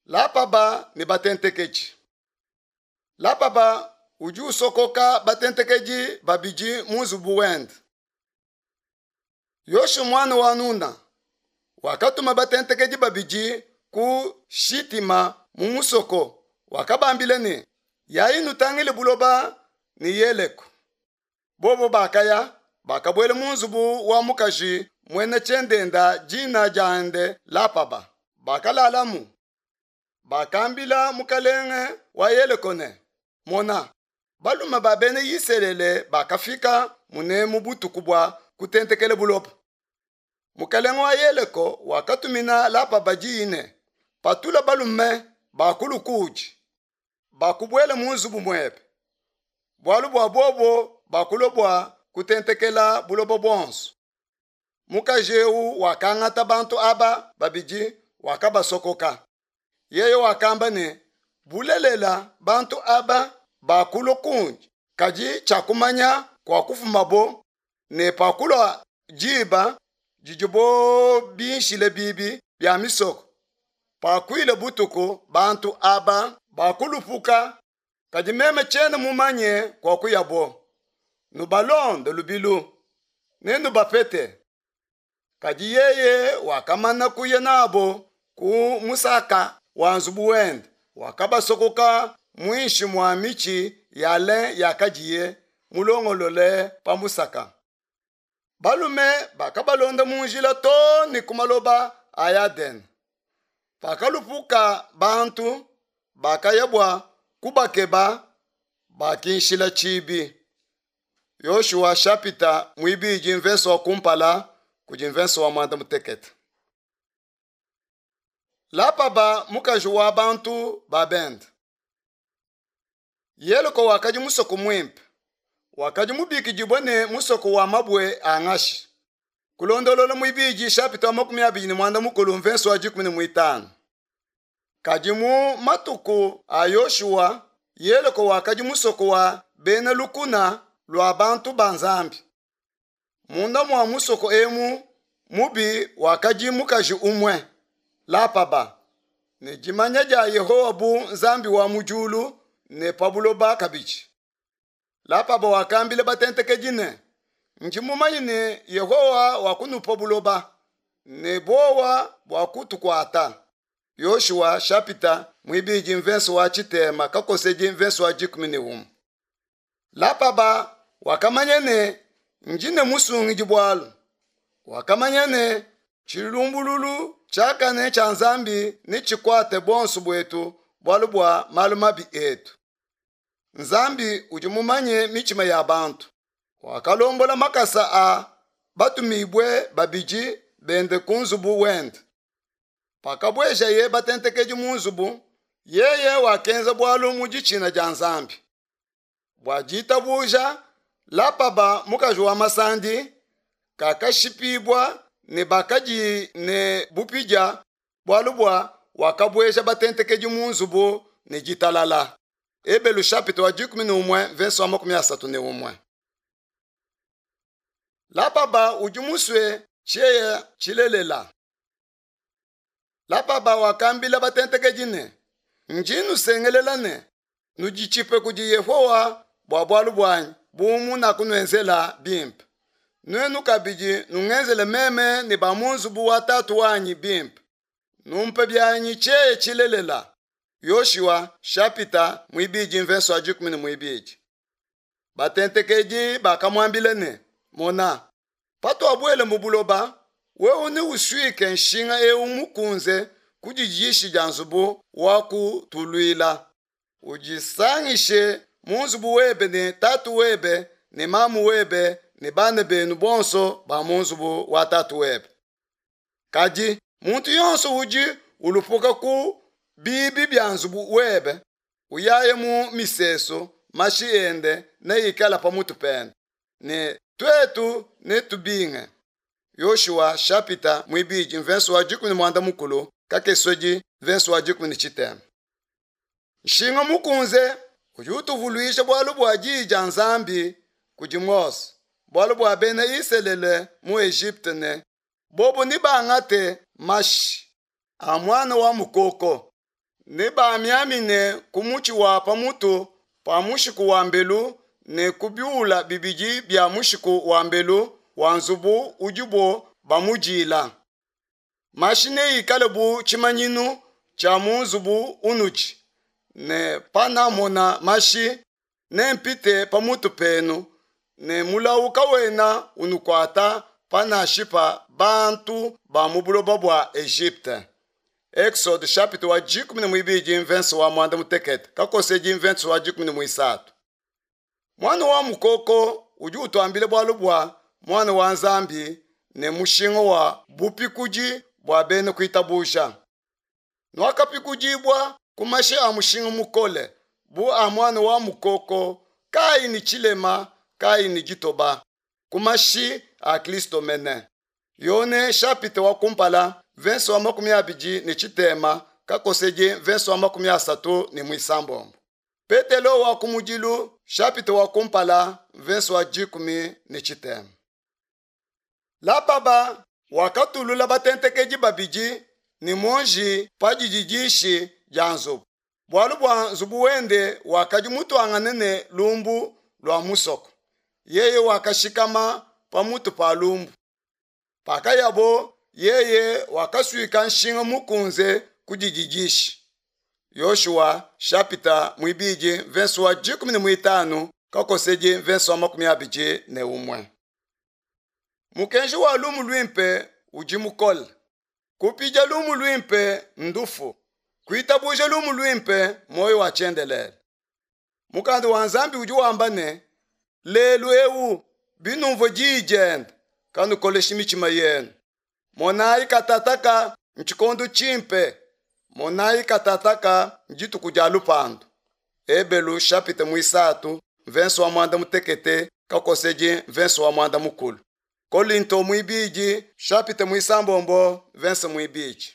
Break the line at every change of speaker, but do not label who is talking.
Lapaba ne batentekedi. Lapaba udi usokoka batentekedi babidi mu nzubu wende. Yoshua muana wa Nuna wakatuma batentekedi babidi ku Shitima mu musoko, wakabambila ne, Yayi nutangile buloba ne Yeleko. Bobo bakaya, bakabuela mu nzubu wa mukaji muena tshiendenda dina diende Lapaba, bakalalamu. Bakambila mukalenge wa Yeleko ne, Mona, balume ba bena Isalele bakafika munemu butuku bua kutentekela buloba. Mukalenge wa Yeleko wakatumina Lapaba diyi ne, Patula balume bakulu kuudi, bakubuela mu nzubu muebe, bualu bua bobo bakulua bua kutentekela buloba buonso. Mukaji eu wakangata bantu aba babidi wakabasokoka. Yeye wakamba ne, Bulelela, bantu aba bakulua kundi, kadi tshiakumanya kuakufumabo, ne pakulua diba didibo binshile bibi bia misoko, pakuile butuku, bantu aba bakulupuka, kadi meme tshiena mumanye kuakuyabo. Nubalonde lubilu, nenubapete. Kadi yeye wakamana kuya nabo ku musaka wa nzubu wende, wakabasokoka muinshi mua mitshi ya lin yakadiye mulongolole pa musaka. Balume bakabalonda mu njila too ne ku maloba a Yadene. Pakalupuka bantu, bakaya bua kubakeba, bakinshila tshibi. Yoshua shapita muibidi mvese wa kumpala kudi mvese wa muanda mutekete. Lapaba mukaji wa bantu ba bende. Yeleko wakadi musoko muimpe, wakadi mubikidibue ne musoko wa mabue a ngashi. Kulondolola muibidi shapita wa 25 mvese wa 15. Kadi mu matuku a Yoshua, Yeleko wakadi musoko wa bena lukuna lua bantu ba Nzambi. Munda mua musoko emu mubi wakadi mukaji umue, Lapaba, ne dimanya dia Yehowa bu Nzambi wa mu diulu ne pa buloba kabidi. Lapaba wakambila batentekedi ne, Ndi mumanye ne Yehowa wakunupa buloba, ne buowa buakutukuata. Yoshua shapita muibidi mvese wa tshitema kakosedi mvese wa 11. Lapaba wakamanya ne ndi ne musungidi bualu. Wakamanya ne tshilumbululu tshiakane tshia Nzambi netshikuate buonso buetu bualu bua malu mabi etu. Nzambi udi mumanye mitshima ya bantu. Wakalombola makasa a batumibue babidi bende ku nzubu wende. Pakabuejaye batentekedi mu nzubu, yeye wakenza bualu mu ditshina dia Nzambi. Bua ditabuja, Lapaba mukaji wa masandi kakashipibua ne bakadi ne bupidia bualu bua wakabueja batentekedi mu nzubu ne ditalala. Ebelu chapitre wa 11 verse wa 31. Lapaba udi musue tshieya tshilelela. Lapaba wakambila batentekedi ne, Ndi nusengelela ne, nuditshipe kudi Yehowa bua bualu buanyi bu munakunuenzela bimpe. Nuenu kabidi nungenzele meme ne ba mu nzubu wa tatu wanyi bimpe. Numpe bianyi tshieya tshilelela. Yoshua shapita muibidi mvese wa 12. Batentekedi bakamuambila ne, Mona, patuabuela mu buloba, wewe neusuike nshinga eu mukunze ku dididishi dia nzubu wa kutuluila. Udisangishe mu nzubu webe ne tatu webe ne mamu webe ne bana benu bonso ba mu nzubu wa tatu webe. Kadi muntu yonso udi ulupuka ku biibi bia nzubu webe, uyaye mu misesu, mashi ende neikale pa mutu pende, ne tuetu netubinge. Yoshua shapita muibidi mvese wa 15 kakesodi mvese wa 13. Nshinga mukunze udi utuvuluija bualu bua diyi dia Nzambi kudi Mose, bualu bua bena Isalele mu Egypte ne bobo nebangate mashi a muana wa mukoko. Nebamiamine ku mutshi wa pa mutu pa mushiku wa mbelu ne ku biula bibidi bia mushiku wa mbelu wa nzubu udibo bamudiila. Mashi neikale bu tshimanyinu tshia mu nzubu unudi, ne panamona mashi, nempite pa mutu penu, ne mulawu kawena unukuata panashipa bantu ba mu buloba bua Egypte. Exode chapitre wa dikumi ne muibidi mvense wa muanda mutekete kakosedi mvense wa 13. Muana wa mukoko udi utuambila bualu bua muana wa Nzambi ne mushinga wa bupikudi bua bena kuitabuja. Nuakapikudibua ku mashi a mushinga mukole bu a muana wa mukoko kayi ne tshilema kayi ne ditoba ku mashi a Kristo mene. Yone chapitre wa kumpala verse wa 23 kakosedi verse wa 36. Petelo wa kumudilu chapitre wa kumpala verse wa 13. Lababa wakatulula batentekedi babidi ne muonji pa dididishi dia nzubu, bualu bua nzubu wende wakadi mutuangane ne lumbu lua musoko. Yeye wakashikama pa mutu pa lumbu. Pakayabo, yeye wakasuika nshinga mukunze ku dididishi. Yoshua chapitre muibidi verse wa 15 kakosedi verse wa 21. Mukenji wa lumu luimpe udi mukole. Kupidia lumu luimpe ndufu, kuitabuja lumu luimpe muoyo wa tshiendelele. Mukanda wa Nzambi udi wamba ne, lelu eu binumvua diyi diende, kanukoleshi mitshima yenu. Monayi katataka ntshikondo tshimpe, monayi katataka ndituku dia lupandu. Ebelu chapitre muisatu verse wa muanda mutekete kakosedi verse wa muanda mukulu. Kolinto muibidi chapitre muisambombo verse muibidi.